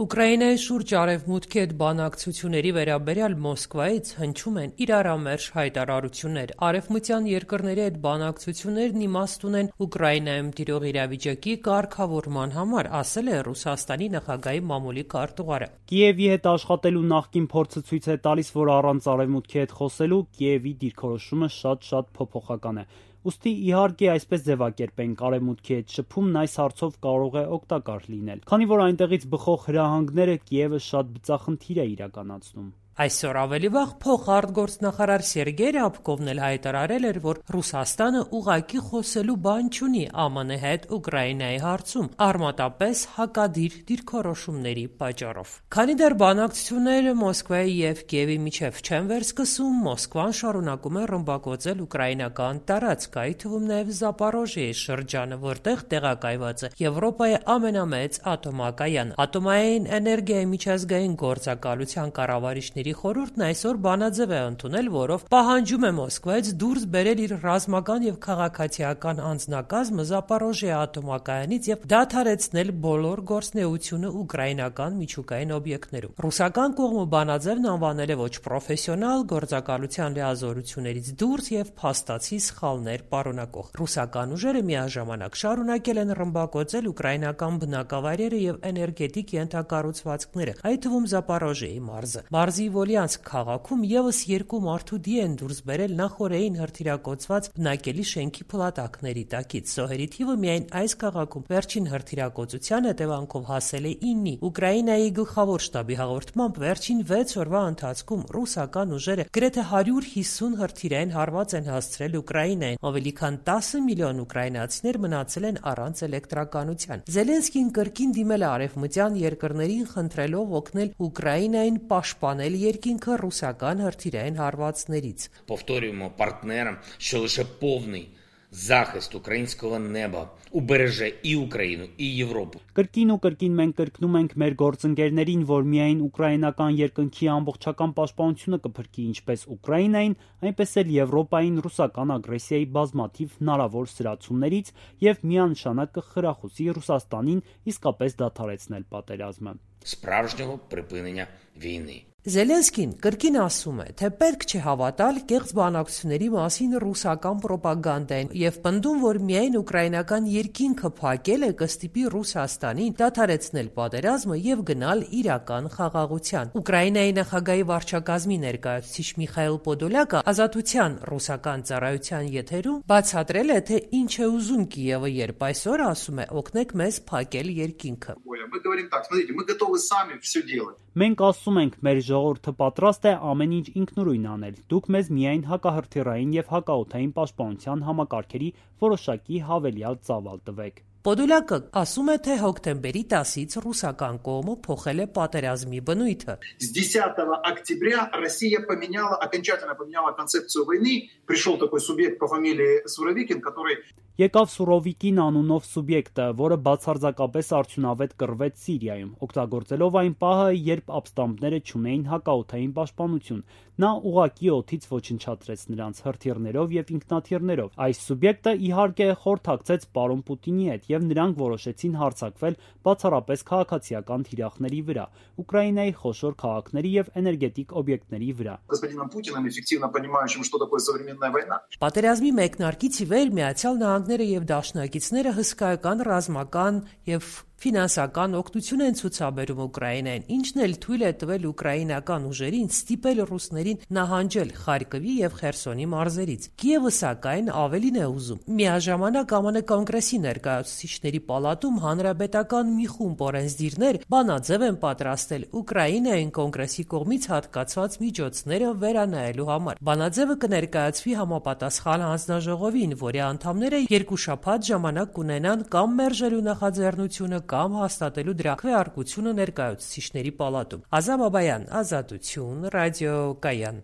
Ուկրաինայի շուրջ արևմուտքի հետ բանակցությունների վերաբերյալ Մոսկվայից հնչում են իրարամերժ հայտարարություններ։ Արևմտյան երկրների հետ բանակցություններն իմաստ ունեն Ուկրաինայում տիրող իրավիճակի կարգավորման համար, ասել է Ռուսաստանի նախագահի մամուլի քարտուղարը։ Կիևի հետ աշխատելու նախկին փորձը ցույց է տալիս, որ առանց արևմուտքի հետ խոսելու Կիևի դիրքորոշումը շատ փոփոխական է։ Ուստի իհարկե այսպես ձևակերպենք, արևմուտքի հետ շփումն այս հարցով կարող է օգտակար լինել, քանի որ այնտեղից բխող հրահանգները Կիևը շատ բծախնդիր է իրականացնում։ Այսօր ավելի վաղ փոխարտգործնախարար Սերգեյ Ռябկովն էլ հայտարարել էր, որ Ռուսաստանը ուղղակի խոսելու բան չունի ԱՄՆ հետ Ուկրաինայի հարցում, արմատապես հակադիր դիրքորոշումների պատճառով։ Քանի դեռ բանակցությունները Մոսկվայի եւ Կիևի միջև չեն վերսկսում, Մոսկվան շարունակում է ռմբակոծել ուկրաինական տարածք, այդ թվում նաեւ Զապորոժիեի շրջանը, որտեղ տեղակայված է Եվրոպայի ամենամեծ ատոմակայանը։ Ատոմային էներգիայի միջազգային գործակալության կառավարիչների խորհուրդն այսօր բանաձև է ընդունել, որով պահանջում է Մոսկվայից դուրս բերել իր ռազմական եւ քաղաքացիական անձնակազմը Զապորոժիեի ատոմակայանից եւ դադարեցնել բոլոր գործունեությունը ուկրաինական միջուկային օբյեկտներում։ Ռուսական կողմը բանաձևն անվանել է ոչ պրոֆեսիոնալ, գործակալության լիազորություններից դուրս եւ փաստացի սխալներ պարունակող։ Ռուսական ուժերը միաժամանակ շարունակել են ռմբակոծել ուկրաինական բնակավայրերը եւ էներգետիկ ենթակառուցվածքները, այդ թվում Զապորոժիեի մարզը։ Մարզի Վոլյանսկ քաղաքում եւս երկու մարդու դի են դուրս բերել նախօրեին հրթիռակոծված բնակելի շենքի փլատակների տակից։ Զոհերի թիվը միայն այս քաղաքում վերջին հրթիռակոծության հետևանքով հասել է 9-ի։ Ուկրաինայի գլխավոր շտաբի հաղորդմամբ վերջին 6 օրվա ընթացքում ռուսական ուժերը գրեթե 150 հրթիռային հարված են հասցրել Ուկրաինային։ Ավելի քան 10 միլիոն ուկրաինացիներ մնացել են առանց էլեկտրականության։ Զելենսկին կրկին դիմել է արևմտյան երկրներին, խնդրելով օգնել Ուկրաինային պաշտպանել երկինքը ռուսական հրթիռային հարվածներից։ Повторюємо партнерам, що лише повний захист українського неба убереже і Україну, і Європу. Կրկին մենք կրկնում ենք մեր գործընկերներին, որ միայն ուկրաինական երկնքի ամբողջական պաշտպանությունը կփրկի ինչպես Ուկրաինային, այնպես էլ Եվրոպային ռուսական ագրեսիայի բազմաթիվ հնարավոր սրացումներից եւ միանշանակ կխրախուսի Ռուսաստանին իսկապես դադարեցնել պատերազմը։ Справжнього припинення війни. Զելենսկին կրկին ասում է, թե պետք չէ հավատալ կեղծ բանակցությունների մասին ռուսական պրոպագանդային եւ պնդում, որ միայն ուկրաինական երկինքը փակել է կստիպի Ռուսաստանին դադարեցնել պատերազմը եւ գնալ իրական խաղաղության։ Ուկրաինայի նախագահի վարչակազմի ներկայացուցիչ Միխայիլ Պոդոլյակը Ազատության ռուսական ծառայության եթերում բացատրել է, թե ինչ է ուզում Կիևը, երբ այսօր ասում է օգնեք մեզ փակել երկինքը։ Мы говорим так, смотрите, мы готовы сами все делать. Մենք ասում ենք, մեր ժողովուրդը պատրաստ է ամեն ինչ ինքնուրույն անել։ Դուք մեզ միայն հակահրթիռային եւ հակաօդային պաշտպանության համակարգերի որոշակի հավելյալ ծավալ տվեք։ Պոդոլյակը ասում է, թե հոկտեմբերի 10-ից ռուսական կողմը փոխել է պատերազմի բնույթը։ С 10 октября Россия окончательно поменяла концепцию войны. Пришел такой субъект по фамилии Суровикин, который Եկավ Սուրովիկին անունով սուբյեկտը, որը բացարձակապես արդյունավետ կռվեց Սիրիայում, օգտագործելով այն պահը, երբ ապստամբները չունեին հակաօդային պաշտպանություն։ Նա ուղղակի օդից ոչնչացրեց նրանց հրթիռներով եւ ինքնաթիռներով։ Այս սուբյեկտը իհարկե խորհրդակցեց պարոն Պուտինի հետ եւ նրանք որոշեցին հարձակվել բացառապես քաղաքացիական թիրախների վրա, Ուկրաինայի խոշոր քաղաքների եւ էներգետիկ օբյեկտների վրա։ господином Путиным, эффективно понимающим, что такое современная война. Պատերազմի մեկնարկից ի վեր Միացյալ Նահանգները եւ դաշնակիցները հսկայական ռազմական եւ ֆինանսական օգնություն են ցուցաբերում Ուկրաինային, ինչն էլ թույլ է տվել ուկրաինական ուժերին ստիպել ռուսներին նահանջել Խարկովի եւ Խերսոնի մարզերից։ Կիևը սակայն ավելին է ուզում։ Միաժամանակ ԱՄՆ կոնգրեսի ներկայացուցիչների պալատում հանրապետական մի խումբ օրենսդիրներ բանաձև են պատրաստել Ուկրաինային կոնգրեսի կողմից հատկացված միջոցները վերանայելու համար։ Բանաձևը կներկայացվի համապատասխան հանձնաժողովին, որի անդամները 2 շաբաթ ժամանակ կունենան կամ մերժելու նախաձեռնությունը կամ հաստատելու դրա քվեարկությունը ներկայացուցիչների պալատում։ Ազա Բաբայան, Ազատություն, ռադիո Կայան։